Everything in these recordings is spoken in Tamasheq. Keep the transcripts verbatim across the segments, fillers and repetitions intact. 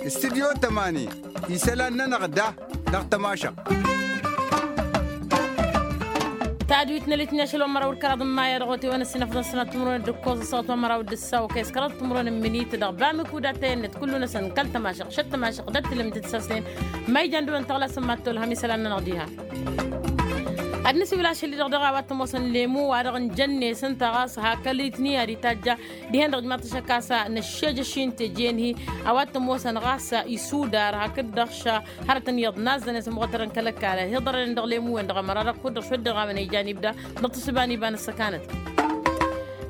Istudyo tămani isălan-nănăɣ da dăɣ-tămašăɣt. Tadwit n-elitni ašăl wa n-măraw d-kăraḍ n-maya dăɣ-otewăn ăssinăfḍăn sănat timǝrwen d-ǝkkoẓ ăssaɣăt wa n-măraw d-ǝssaw kăy-s kăraḍ timǝrwen n-minit dăɣ-bamik uda tăyănnet kullu-năsăn kăl-tămašăɣt šăt-tămašăɣt d-ăttǝlǝm d-ǝssasnen. Ma ijan dăɣ-wăn tăɣlasăn mad-tolhăm isălan-nănăɣ diha. Ad-nǝsiwǝl ašăl-i-dăɣ dăɣ-a-wa t-ămoosăn lemu wa-dăɣ n-jănnesăn ta ɣas hak ălitni ad-itajja dihen-dăɣ ijmaḍ-t ašăk a-s năššejăš-in teje n-hi. A-wa t-ămoosăn ɣas isudar hakd-dăɣ š-hărătăn iyyăḍ nazzăn i-asǝmɣătărăn kăl-ăkall ăhiḍărănen dăɣ-lemu-wen dăɣ-ămăra-dăɣ kud-dăɣ šund dăɣ-a-wen ijan ibda dăɣ-tǝssǝba n-iba n-ăssăkanăt.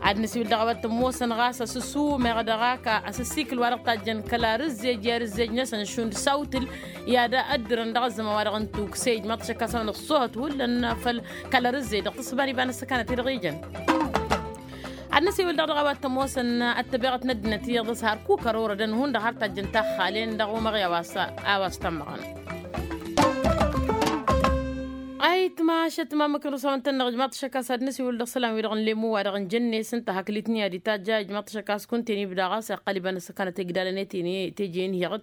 Ad-nǝsiwǝl dăɣ-a-wa t-ămoosăn ɣas asǝssumeɣ dăɣ-ak asǝssikǝl wa dăɣ-tajjăn kăla rǝzzej i-ad-ǝzzejnăsăn šund s-awtǝl i-ad-ăddǝrăn dăɣ-ăzzăman wa dăɣ-n tukse ijmaḍ-t ašăk a-s a-wen ăṣṣohăt hullan făll-kăla rǝzzej dăɣ-tǝssǝba n-iba n-ăssăkanăt i-dăɣ ijăn. Ad-năsiwǝl dăɣ-dăɣ a-wa t-ămoosăn ăttăbeɣăt n-ăddinăt iyyăḍ s-hărkuk ărorădăn hundăɣ har tajjăn taxxalen dăɣ-umăɣ i-a-wa s-a-wa s-tămmăɣăn. Ayǝtmašăt ma măknăr s-a-wa n-tănnăɣ ijmaḍ-t ašăk a-s ad-năsiwǝl dăɣ-isălan-wi-dăɣ n-lemu wa dăɣ-n jănne s-ǝnta hakd itni ad-itajja ijmaḍ-t ašăk a-s kunta-en ibda ɣas iqqăl iba n-ăssăkanăt egdalăn i-tejăn hi-iɣǝd.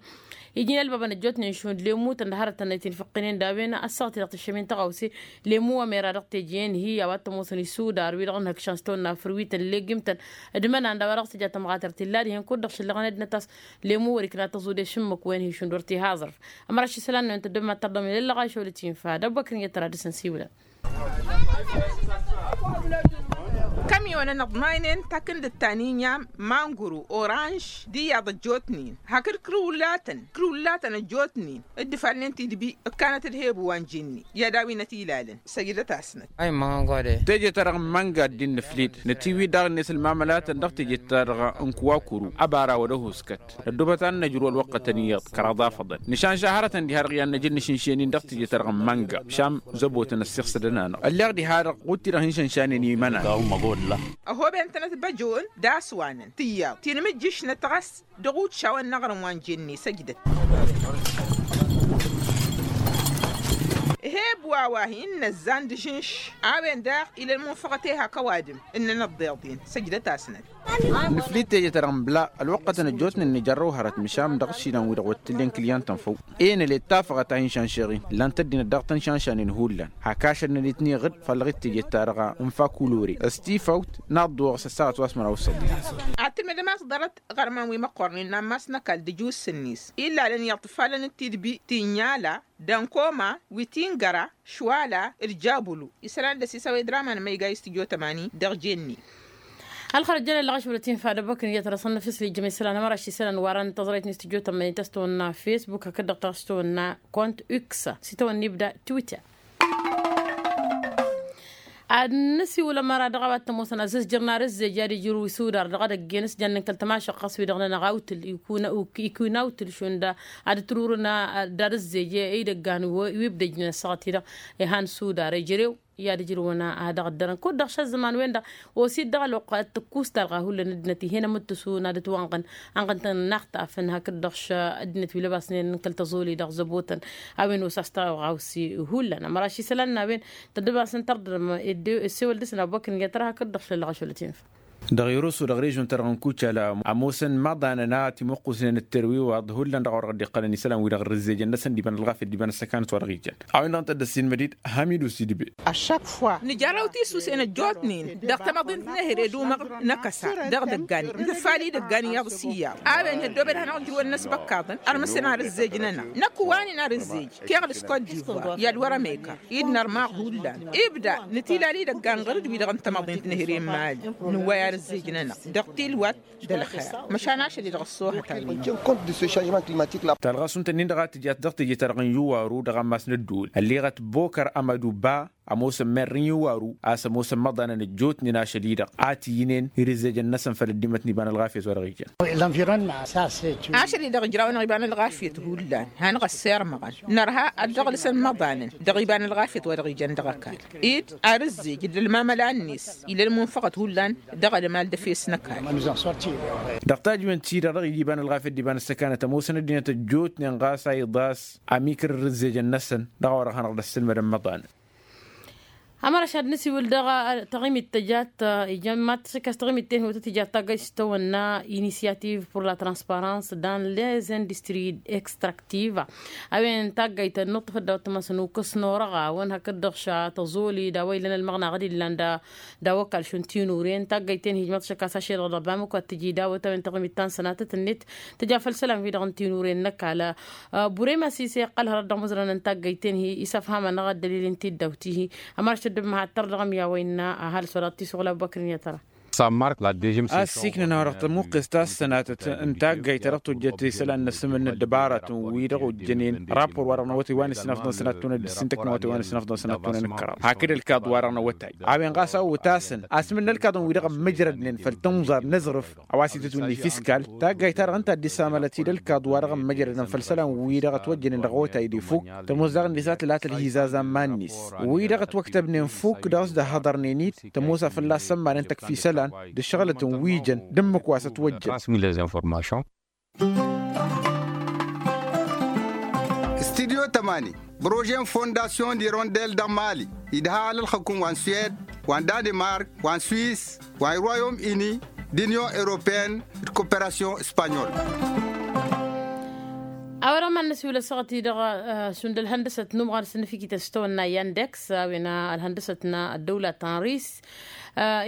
Iji n-ălbabăn ăjjootnen šund lemu-tăn d-hărătăn a itinfăqqinen d-a-wen ăssaɣăt-i-dăɣ tǝššăm-in tăɣawse. Lemu wa mera dăɣ-teje n-hi a-wa t-ămoosăn isudar wi-dăɣ n-hăkšan s-tawănna fărwi-tăn legim-tăn d-imănan d-a-wa dăɣ-s tǝja tămɣatărt illa dihen kud-dăɣ šăllăɣăn ăddinăt a-s lemu wăr-ikna tăẓude šǝmmǝk-wen hi-šund wăr t-ihaẓărf. Ămăra aššisălan-năwăn tăddom ad-tărdăm i-lăllăɣ a išăwăl ătinfa d-abbăkăr n-iyyăt tăra dăr-săn siwǝlăn. Kămyonăn ăḍmaynen takǝndǝt ta n-inyam manguru oranž d-iyyăḍ ăjjootnen hakd kǝrǝwǝllatăn kǝrǝwǝllatăn ăjjootnen dd-ifalnen tidbi ǝkkanăt d-hebu wa n-jinni i-ad-awǝynăt ilalăn. Săjdăt-asnăt. Teje-ta-dăɣ n-manga ăddin nǝflid nătiwǝy daɣ-net ălmamălatăn dăɣ-teje-ta-dăɣ n-kuwakuru ăbara wăr-ăhuskăt. Năddobăt ad-năjrǝw ălwăqqătăn iyyăḍ kăraḍ afăḍăn nǝšanša hărătăn diha-dăɣ i-ad-năj ǝnnǝšǝnšen-in dăɣ-teje-ta-dăɣ n-manga. Šam zăbotăn ăssiɣsădăn-anăɣ ălleɣ diha-dăɣ ɣud-ti-dăɣ hin-šănšanen i-imănan. Ăhoben-tănăt băjon d-aswanăn tǝyyaḍ ti n-imǝjjǝšnăt ɣas dăɣ-utšaw ănnăɣrǝm wa n-jenne săjdăt. Heb wa wa hin-năzzan d-ažǝnš a-wen daɣ ila ălmunfăɣăt i-hak ăwadǝm ǝnnăn ăḍḍeḍ-in săjdăt-asnăt. Nǝflid teje-ta-dăɣ n-bla ălwăqqătăn ăjjootnen nǝjărrăw hărăt măšan dăɣ-išilan-wi-dăɣ wăr t-tǝllen kǝlyantăn făw. E năle ǝttafăɣăt a hin-šanšeɣ-in ǝllan-t ăddinăt daɣ tăn-šanšanen hullan hak ašăl n-ălitni iɣǝd făllăɣ-dd teje-ta-dăɣ n-fakulore s-tifawt n-aḍḍuwăɣ s-ăssaɣăt wa s-măraw s-săḍi. Ad-tǝlmǝdăm a-s ḍarăt iɣărman wi măqqornen n-ammas n-ăkall d-ǝjus-net illalăn iyyăḍ tǝfalăn d-tidbi ti n-inyala d-ănkoma wi ti n-găra šwala d-jabulu. Isălan d-ăsisăwed raman măyga i-studyo tămani dăɣ-jenne. Ălxărăt jăn ăllăɣ ašwălăt infa d-ăbbăkăn iyyăt răsăn năfisli jăm isălan ămăra ašisălan warăn tăẓrăyt n-studyo tămani tăstăwănna facebook hakd-dăɣ tăstăwănna kont x. S-itawănna ibda twitter. Ad-nǝsiwǝl ămăra dăɣ-a-wa t-ămoosăn azǝzjăr n-arǝzzej i-ad-ijrǝw isudar dăɣ-edăgg-en s-jannen kăl-tămašăɣt ɣas wi-dăɣ-nănăɣ awtǝl ikun awtǝl šund ad-ǝtrurǝn d-arǝzzej i-idăggan wi ǝbdăjnen ăssaɣăt-i-dăɣ. Ihan sudar ejărew i-ad-ǝjrǝwăn ad-dăɣ-ăddărăn kud-dăɣ šăzzăman-wen-dăɣ osid dăɣ-ălwăqq ad-tǝkkus talɣa hullan ăddinăt ih'-en ămǝttǝsun ad-ǝtwănɣăn. Ănɣăn-tăn n-axtafăn hakd-dăɣ š-ăddinăt wi lăbasnen n-kăl-tăẓoli dăɣ-zăbotăn a-wen osa s-taɣawse hullan ămăra ašisălan n-a-wen. Tăddăbasăn tărdărăm ăssewăl dăɣ-săn abubăkr n-iyyăt tăra hakd-dăɣ šăllăɣ ašăl ătinfa. Dăɣ-irusu dăɣ-režon-ta-dăɣ n-kucala ămoosăn imaḍanăn a ătimǝqqusnen d-terwiwaḍ hullan dăɣ-a-wa dăɣ-dd-iqqălăn isălan wi-dăɣ ărrǝzzejăn-năsăn d-iba n-ălɣafyăt d-iba n-ăssăkanăt wa dăɣ-ijan. A-wen-dăɣ n-tădd-ăssinmăd-dd hamidu sidbe. Nǝjărrăw tisusen ăjjootnen dăɣ-tamăḍint n-ehre d-umăɣ n-akăsa dăɣ-idăggan n-tǝffal idăggan iyyăḍ s-iyyăḍ. A-wen hăddoobed ad-hanăɣ-ǝjrǝwăn n-asbăkkaḍăn ărmǝsăn arǝzzej-nănăɣ năkk wa n-inarǝzzej. Keɣ d-skot divoire i-ad-wăr-ămekăr id-nărmaɣ hullan ibda nǝtilal idăggan ɣur-dd wi-dăɣ n-tamăḍint n-ehre n-mali. Nǝwway arǝzzej-nănăɣ dăɣ-tilwat d-ălxer. Măšan ašăl-i-dăɣ ăṣṣoohăt a-wen. Talɣa s-unta-nin-dăɣ a tǝjat dăɣ-teje-ta-dăɣ n-iwaru dăɣ-ammas n-ădduul ălleɣăt bokăr amădu ba. Ămoosăn merr n-iwaru a-s ămoosăn imăḍanăn ăjjootnen ašăl-i-dăɣ a t-iyyǝnen irǝzzejăn-năsăn făll-ăddimăt n-iba n-ălɣafyăt wa dăɣ-ijan. Ašăl-i-dăɣ ǝjrawăn dăɣ-iba n-ălɣafyăt hullan hanăɣ-ăssirmăɣăn nărha ad-dăɣ-lǝsăn imăḍanăn dăɣ-iba n-ălɣafyăt wa dăɣ-ijan dăɣ-ăkall ed arǝzzej d-ălmamăla-net. Ila ălmunfăɣăt hullan dăɣ-ălmal d-efes n-ăkall. Dăɣ-tajǝwen-ti-dăɣ dăɣ-ija iba n-ălɣafyăt d-iba n-ăssăkanăt ămoosăn ăddinăt ăjjootnen ɣas a iḍas amikăr irǝzzejăn-năsăn dăɣ-a-wa dăɣ-hanăɣ-dd-ăssǝlmădăn imăḍanăn. Ămăraš ad-nǝsiwǝl dăɣ-taɣimit tăjat ijăn mad-tǝsǝkkas taɣimit-ten hotăt ijat taggayt s-tawănna inisyativ pur la transparans dan les industri extraktiv. A-wen taggayt ănnuṭṭăfăt daw-t măsăn ukǝs n-orăɣ a-wen hakd-dăɣ ša tăẓoli d-a-wa ilăn ălmăɣnaɣ d-illan d-a-wa kall šund tinuren taggayt-ten hij mad-tǝsǝkkas ašel dăɣ-bamăko ad-tǝji daw-t a-wen taɣimit ta n-sănatăt-net tǝja făll-isălan-wi-dăɣ n-tinuren n-ăkall. Burem asise iqqăl hărăt dăɣ-imǝzran n-taggayt-ten-hi isăfhamăn-aɣ ad-dălil n-tiddawt-ihi. Ămăraš tăddǝm ad-tărdăɣăm i-a-wa innă ăhalǝs wa dăɣ-t-isuɣǝl abubăkr n-i-tăra. Ass-iknăn a-wa dăɣ-tămuqqes ta s-sănatăt n-taggayt ta dăɣ-tojjăt isălan n-asǝmǝl n-ăddăbarătăn-wi-dăɣ ojjănen rapor wa dăɣ-năwătay wa n-isnafḍăn sănattunăn d-ǝssin tăknăwătay wa n-isnafḍăn sănattunăn n-kăraḍ hakd ălkaḍ wa dăɣ-năwătay. A-wen ɣas a otasăn asǝmǝl n-ălkaḍăn-wi-dăɣ ămmǝjrădnen făll-tănẓar n-aẓrǝf a-wa s-itǝtwǝnni fiskal. Taggayt-ta-dăɣ ǝnta a dd-isamălăt-dd ălkaḍ wa dăɣ-ămmăjrădăn făll-isălan-wi-dăɣ ătwăjjănen dăɣ-otay d-ifuk. Tămoos daɣ ǝnni s-ad-tǝlatăl hizazan iman-net wi-dăɣ ătwăktăbnen fuk dăɣ-s dd-ăhhăḍărnen-dd tămoos a fălla-s sămmanăn tăkf isălan d-ǝššăɣǝlăt n-wi jăn d-ǝmmǝk wa s-ătwăjjăn. Studyo tămani, brožen fondasyon d-irondel dăɣ-mali idha alălxăkum wa n-swed, wa n-danemark, wa n-swis, wa n-royom ini, d-inyon europen d-koperasyon spanyol. A-wa dăɣ-mad-năsiwǝl ăssaɣăt-i-dăɣ šund ălhăndăsăt n-umɣan s-ǝnnǝfikităn s-tawănna yandeks a-wen ălhăndăsăt n-ăddăwla ta n-ris.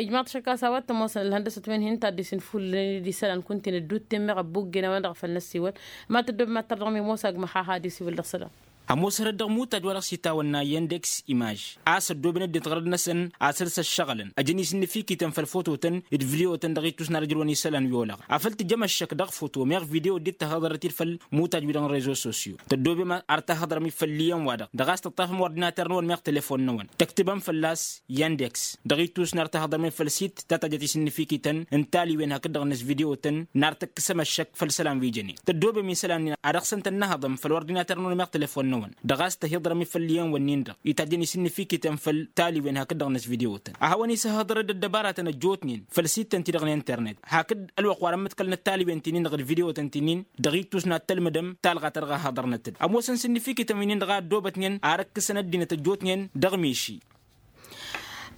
Ijmaḍ šăkkas a-wa t-ămoosăn ălhăndăsăt wen hin-taddis n-ifullăn d-isălan kunta-in ădduutten meɣ ăbbuggen a-wen-dăɣ făl năsiwăl. Mad-tăddoobem ad-tărdăɣăm i-ămoos agmăx a had-isiwǝl dăɣ-isălan. Ămoos hărăt dăɣ-imutaj wa dăɣ-s itawănna yandeks imaj a-s ăddooben ăddinăt ɣărăt-năsăn asăl s-ăššăɣǝlăn ăjăn-i s-ǝnnǝfikităn făll-fototăn d-vidiotăn dăɣ-ittus n-ad-ăj ǝjrăwăn isălan wi olăɣ afăl tǝjjăm ăššăk dăɣ-foto meɣ video dd-tahăḍărăt-dd făll-imutaj-wi-dăɣ n-rezo sosyo. Tăddoobem ar tahăḍărăm-dd făll-iyyăn-wa-dăɣ dăɣ-a-s tǝṭṭafăm ordinater-năwăn meɣ telefon-năwăn tăktǝbăm fălla-s yandeks dăɣ-ittus n-ar tahăḍărăm-dd făll-sit ta tajjăt isǝnnǝfikităn n-taliwen hakd-dăɣ-năs vidiotăn n-ar tǝkkǝsăm ăššăk făll-isălan wi jănen. Tăddoobem isălan-nin ad-dăɣ-săn tănnăhăḍăm făll-ordinater-năwăn meɣ telefon-năwăn dăɣ-a-s tăhiḍărăm-dd făll-iyyăn-wǝnnin-dăɣ itajjăn isǝnnǝfikităn făll-taliwen hakd-dăɣ-năs vidiotăn a hawăn-isăhhăḍărăd ăddăbaratăn ăjjootnen făll-sittăn-ti-dăɣ n-internet hakd ălwăqq wa dăɣ-mǝḍkălnăt taliwen ti-nin-dăɣ d-vidiotăn ti-nin-dăɣ ittus n-ad-tălmǝdăm talɣa ta dăɣ-a haḍărnăt-dd ămoosăn s-ǝnnǝfikităn wi-nin-dăɣ a ăddoobătnen ar ǝkkǝsăn ăddinăt ăjjootnen dăɣ-miši.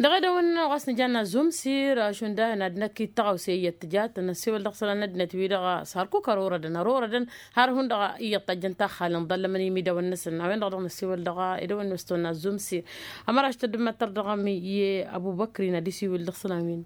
Dăɣ-edăwăn ɣas nǝjanna zumsir šund a-wen ad-năkk ittăɣawse iyyăt tǝjat năssiwăl dăɣ-isălan n-ăddinăt-wi-dăɣ s-hărkuk ărorădăn ărorădăn har hundăɣ iyyăt tajjăn taxxalăn ḍallămăn imidawăn-năsăn a-wen-dăɣ dăɣ-năssiwăl dăɣ-edăwăn n-wăstăwăn n-azumsir. Ămăraš tăddǝmmăt tărdăɣăm i-ăbubăkrin ad-isiwǝl dăɣ-isălan-win.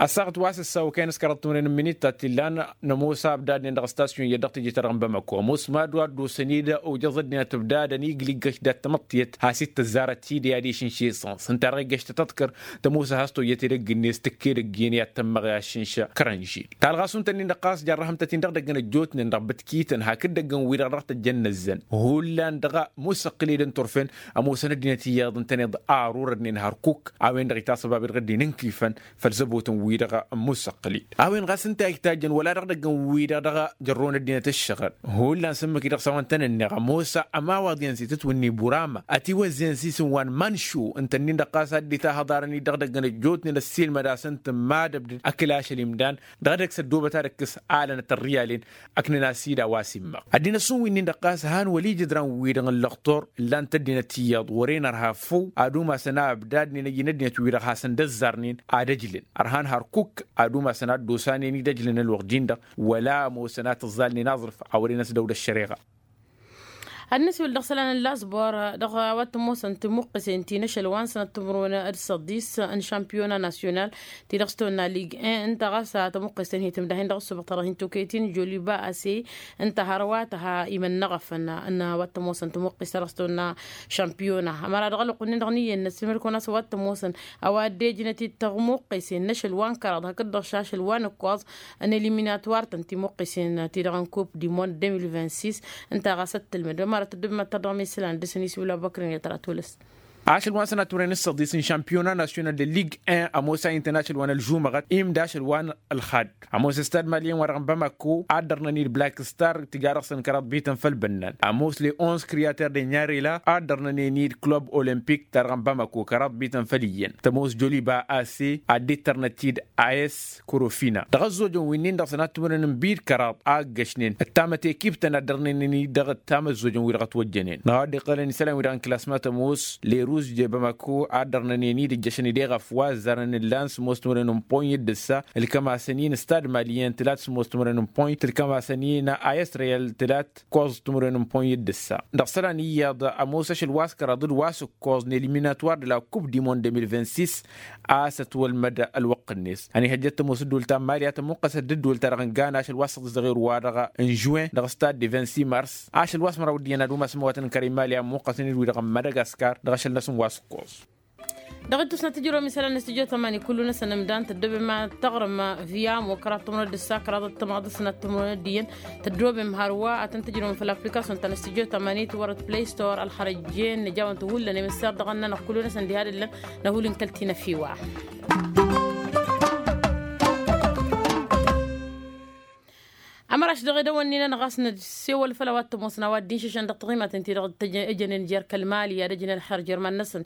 Ăssaɣăt wa s-ăssawăkăyăn s-kăraḍ timǝrwen n-imǝnit ta t-illan nămoos abdadnen dăɣ-ăstasyon iyyăt dăɣ-teje-ta-dăɣ n-bamako ămoos mad-wa ăddosăn-dd ojăẓ ăddinăt ǝbdadăn igli ǝggăš dat-tamăḍt tiyyăt has-dd-tăzzarăt tidǝy adiš n-šeṣănṣ ǝnta-dăɣ iggăš tăt-tăḍkăr tămoos a has-tojjăt edăgg-net tǝkk edăgg-en i-ad-tămmăɣ i-aššǝnša kărănžel. Talɣa šund tăn-in-dăɣ ɣas jarrăhăm-tăt-in-dăɣ dăgg-năjjootnen dăɣ-bǝtkităn hakd dăgg-n-wi-dăɣ dăɣ-tăjjăn năzzăn hullan dăɣ-musăqqǝled n-turfen. Ămoosăn ăddinăt iyyăḍ ǝntăneḍ arurădnen hărkuk a-wen-dăɣ itasăbab-dd dd-inǝnkifăn făll-zăbotăn-wi-dăɣ n-musăqqǝled. A-wen ɣas ǝnta a ijtajjăn wăla dăɣ-idăgg n-wi-dăɣ dăɣ-jărrăwăn ăddinăt ǝššăɣǝl hullan s-ǝmmǝk-i dăɣ-s a-wa ǝntănănneɣ ămoos ămawaḍ-i ănsi tǝtwǝnni burama ătiwăzzeyăn s-isǝm wa n-manšu ǝntănnin-dăɣ ɣas a dd-itahăḍarăn-dd dăɣ-idăgg n-ăjjootnen ăssiilmăd-asăn tǝmmadăbdǝd ăkla ašăl imdan dăɣ-edăgg s-ăddoobăt ad-ǝkkǝs alănăt ărriyalen. Ăknăn-as-dd a-wa s-immăɣ ăddinăt šund wi-nin-dăɣ ɣas han wăla ijǝdran-wi-dăɣ n-lăxtur ǝllan-t ăddinăt iyyăḍ wăren ărha făw ad-umasăn a ǝbdadnen ăjjǝn ăddinăt-wi-dăɣ hasăn-dd-ăzzarnen ad-ăjlǝn ărhan hărkuk ad-umasăn ad-dd-osanen-dd ăjlǝn ălwăqq-jin-dăɣ wăla ămoosăn a tǝẓẓalnen aẓrǝf a wăren ăsdăw d-ăššăreɣa. Ad-nǝsiwǝl dăɣ-isălan n-laẓbor dăɣ-a-wa t-ămoosăn timǝqqǝsen ti n-ašăl wa n-sănăt timǝrwen d-săḍis n-šampiyona nasyonal ti-dăɣ s-tăwănna lig en ǝnta ɣas tamǝqqǝsen hi-tǝmdahin dăɣ-ǝssubăɣ ta dăɣ-hin-tokăyăt-in joliba ase ǝnta hărwa tăha imănnăɣăfăn n-a-wa t-ămoosăn timǝqqǝs ta dăɣ-s tăwănna šampiyona ămăra dăɣ-ălwăqq-nin-dăɣ n-iyyăn n-ăssimăl-kăwăn a-s a-wa t-ămoosăn a-wa dd-ejnăt-dd tăɣmuqqǝsen n-ašăl wa n-kăraḍ hakd-dăɣ šašăl wa n-ǝkkoẓ n-eliminatwar-tăn timuqqǝsen-ti-dăɣ n-kup du mond deux mille vingt-six. Ǝnta ɣas ăttălmăd ămăra tăddǝbmăt tărdăɣ mi-isălan dăr-săn isiwǝl abubăkr n-iyyăt ara tolăs. Ašăl wa n-sănat timǝrwen n-săḍis n-šampiyona nasyonal d-lig en ămoos a intăn ašăl wa n-ălžumăɣăt imda ašăl wa n-ălxad. Ămoos ăstad mali-en wa-dăɣ n-bamako a dd-ărnăn-dd black star tǝja dăɣ-săn kăraḍ bităn făll-bănnan ămoos le onze creater de nyarela a dd-ărnănen-dd club olimpik ta dăɣ-n bamako kăraḍ bităn făll-iyyăn tămoos joliba ase ad-dd-tărnăt-dd a s korofina dăɣ-ăzzojăn wi-nin-dăɣ sănat timǝrwen n-bid kăraḍ a ǝggăšnen ăttamăt ekip-tăn ad-dd-ărnănen-dd dăɣ-ăttam ăzzojăn wi-dăɣ ătwăjjănen dăɣ-a dd-iqqălăn isălan wi-dăɣ n-klasma tămoos le Uzde bamako ad-dărnănen idǝjjăšăn ideɣ ăfwa ăzzarăn ǝllan sǝmmos timǝrwen n-point d-ǝssa. Ǝlkămasăn-in stad maliyen tǝlat sǝmmos timǝrwen n-point ǝlkămasăn-in ayăsrăyăl tǝlat kăwăẓ timǝrwen n-point d-ǝssa. Dăɣ-isălan iyyăḍ ămoos ašăl wa s-kăraḍ d-wa s-ǝkkoẓ n-eliminatwar d-la coupe du monde deux mille vingt-six. A-s ătwălmăd ălwăqq-net ăniihăjjăt tămoos ǝddul ta n-mali a tămmuqqăsăt d-ǝddul ta dăɣ-nǝggan ašăl wa s-săḍǝzăɣ irwa dăɣ-n žuwen dăɣ-stad de vingt-six mars. Ašăl wa s-măraw d-iyyăn ad-umasăn măwatăn n-kăra imali a ămmuqqăsăn-dd wi-dăɣ n-madagascar dăɣ-ašăl-năsăn wa s-ǝkkoẓ. Dăɣ-ittus n-ad-tǝjrăwăm isălan n-studyo tămani kullu-năsăn ǝmdan tăddobem ad-taɣrǝm via mokra tămrăd d-ǝssa kăraḍăt tămaḍ s-năt tămrăd d-iyyăn. Tăddobem hărwa ad-tăn-tǝjrăwăm făll-aplikasyon ta n-studyo tămani tiwărăt play store ălxărăjjen nǝjawăn-tăn hullan emǝsser dăɣ-ănnănăɣ kullu-năsăn diha d-ǝllăn. Năhul n-kăl-tinăfiwa. Ămăraš dăɣ-edăwănni-nănăɣ a-s năssewăl făll-a-wa t-ămoosăn a-wa dd-inšǝšăn dăɣ-taɣimaten-ti-dăɣ ǝjănen jer-kăl-mali i-ad-ăjǝn ălxer jer-iman-năsăn.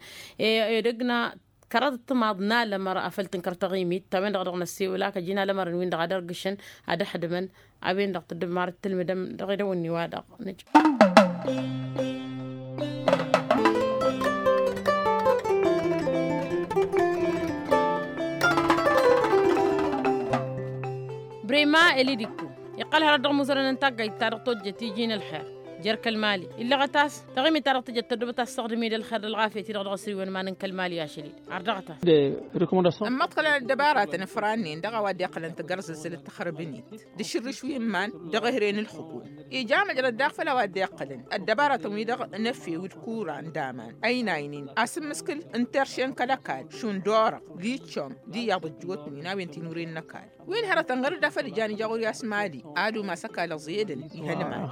Edăgg n-kăraḍ timaḍ n-alămăr a făl tǝnkăr taɣimit ta-wen-dăɣ dăɣ-năssewăl a kăjin alămărăn-win-dăɣ ad-ărgǝšăn ad-ăxdǝmăn. A-wen-dăɣ tǝddǝm marăt tǝlmǝdăm dăɣ-edăwănni-wa-dăɣ. Brema elidikku iqqăl hărăt dăɣ-imuzărăn n-taggayt-ta-dăɣ tojjăt iji n-ălxer jer-kăl-mali illăɣăt-as taɣimit-ta-dăɣ tǝjăt tăddobăt a-s tăɣdǝm-dd ălxer d-ălɣafyăt-i-dăɣ dăɣ-asǝrǝy wa n-iman n-kăl-mali ašăl-dd. Ărdăɣăt-as. Ămmăḍkălăn ăddăbaratăn ǝfrannen dăɣ-a-wa dd-iqqălăn tăggărẓǝzzǝl d-taxrǝbnit d-ašǝrrǝš wi n-iman dăɣ-ehre n-ǝlxǝkun. Ija măjrăd daɣ făll-a-wa dd-iqqălăn ăddăbaratăn-wi-dăɣ n-efew d-kura n-daman ăynaynen asǝmmǝskǝl n-terše n-kăl-ăkall šund orăɣ d-iccom d-iyyăḍ ăjjootnen a-wen ti n-uren n-ăkall. Wi n-hărătăn ɣăr-dd a făl ijan ija ɣur-i a-s mali ad-umas ăkall ăẓẓeyădăn. Ihălman.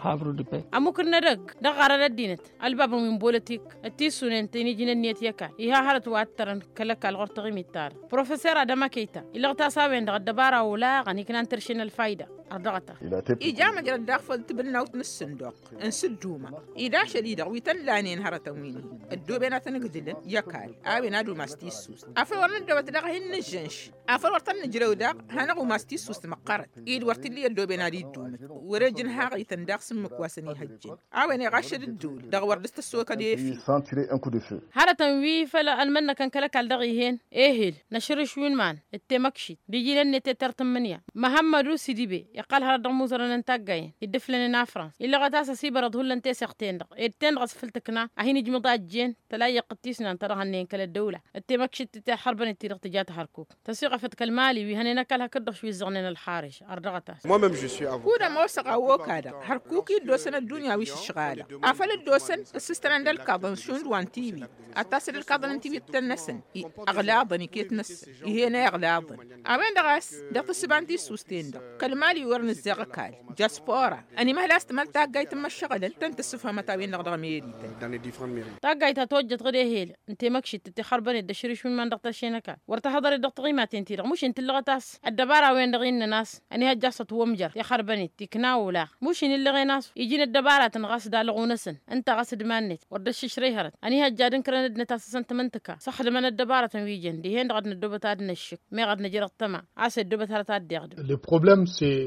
Ămukǝr n-edăgg dăɣ-ɣarăn ăddinăt ălbabăn wi n-bolătik d-tissunen tănijǝn ǝnniyăt i-ăkall iha hărăt wa ǝttărăn kăl-ăkall ɣur-taɣimit-ta-dăɣ professor adama kăyta. Illăɣ-t a-s a-wen-dăɣ ăddăbara olaɣăn iknan tărše n-ălfayda. Ărdăɣăt-as. Ija măjrăd daɣ făll-tibǝl n-awt n-ǝssǝnduq n-sǝdduma ed ašăl-i-dăɣ wi tăn-lanen hărătăn wi n-hin ăddooben ad-tăn-ǝgdǝlăn i-ăkall a-wen ad-umas tissust. Afăl wăr năddăwăt daɣ hin-nǝžžănš afăl wăr tăn-nǝjrăw daɣ hanăɣ-umas tissust măqqărăt ed wăr t-illa i-ăddooben ad-iddumǝt. Wăr-e jǝnhaɣ-ităn daɣ s-ǝmmǝk wa săn-ihăjjăn a-wen iɣaššăd ǝddǝwǝl dăɣ-wăr dăɣ-s tăssokăd efil. Hărătăn wi făll-ălmănnăkăn kăl-ăkall dăɣ-ih'-en ehel n-ašrǝš wi n-iman d-temăkšit d-iji n-ănnet i-tăr tǝmmǝnǝya. Măhămmădu sidibe iqqăl hărăt dăɣ-imuzărăn n-taggayăn dd-ǝflănen afrans illăɣăt a-s ăsibărăḍ hullan teseɣt-ten-dăɣ ed ten-dăɣ a-s făl tǝkna a hin-ijmǝḍ a ăjjeen tăla iyyăq d-tisnan ta dăɣ-hănnăyăn kăl-ăddăwla d-temăkšit d-tihărbănet-ti-dăɣ tǝja tăhărkuk. Tăsiɣăfăt kăl-mali wi hănen ăkall hakd-dăɣ šwi ǝzzăɣnen ălxarǝš. Ărdăɣăt-as. Kud-ămoosăɣ a okadăɣ hărkuk-i dd-osăn ăddunya wi s-ǝšɣalăɣ afăl dd-osăn ǝssǝstărăn d-ălkaḍăn šund wa n-tiwi ad-tasăd ălkaḍăn n-tiwi d-tăn-năsăn. Ăɣlaḍăn iket-năsăn ih'-en a iɣlaḍăn. A-wen-dăɣ a-s dăɣ-tǝssǝba n-tissust-en-dăɣ kăl-mali wăr nǝzzeɣ ăkall. Jaspora ănimăhăl a-s tǝmăl taggayt n-imăššăɣǝlăn tăn-tǝssǝfhămăt a-wen-dăɣ dăɣ-meri-tăn. Taggayt ta tojjăt ɣǝd ehel n-temăkšit d-tixărbănet d-ašrǝš wi n-iman dăɣ-tărše n-ăkall wăr tăhăḍăret dăɣ-taɣimaten-ti-dăɣ mušin tǝllăɣăt a-s ăddăbara-wen-dăɣ innăn a-s ănihăjja a-s ătwămjăr tixărbănet tikna olaɣ. Mušin illăɣen a-s iji n-ăddăbaratăn ɣas d-alăɣu-năsăn ǝnta ɣas d-iman-net wăr dd-ăššǝšrăy hărăt ănihăjja ad-ǝnkărăn ăddinăt a-s ăsăn tǝmǝntǝka s-ăxdǝmăn ăddăbaratăn wi jăn dihen-dăɣ ad-năddobăt ad-năššǝk. Meɣ ad-năj dăɣ-tăma a-s ăddobăt hărăt ad-dd-iɣdǝm.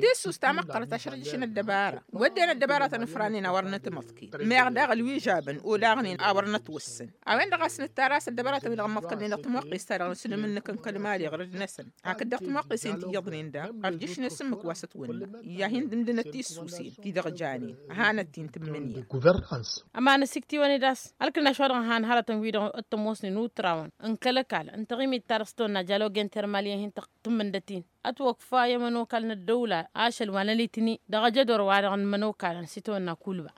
Tissust ta măqqărăt ašrăjăš n-ăddăbara wădden ăddăbaratăn ǝfrannen a wăr nătmăḍkǝy meɣ daɣ ălwižabăn olaɣnen a wăr nătwǝssǝn. A-wen-dăɣ a-s nǝttar a-s ăddăbaratăn-wi-dăɣ ămmăḍkălnen dăɣ-timwăqqes-ta-dăɣ n-asǝlǝm-năk n-kăl-mali ɣur-năsăn hakd dăɣ-timwăqqesen ti iyyăḍnen daɣ ărjǝšnen s-ǝmmǝk wa s-ătwănna. I-ad-hin-dǝmdǝnăt tissusen ti-dăɣ janen hanăt-t-in tǝmmǝnǝya. Ămanăs iktiwăn-dd a-s ălkǝnnaš wa dăɣ-ăhan hărătăn wi-dăɣ t-ămoosnen utrawăn n-kăl-ăkall n-taɣimit-ta-dăɣ s-tăwănna jalogen termal i-ad-hin-tăɣ tǝmmǝndăt-in. Ătwăkfa i-ămănokal n-ăddăwla ašăl wa n-ălitni dăɣ-ajădor wa dăɣ-nămănokalăn s-itawănna kulba.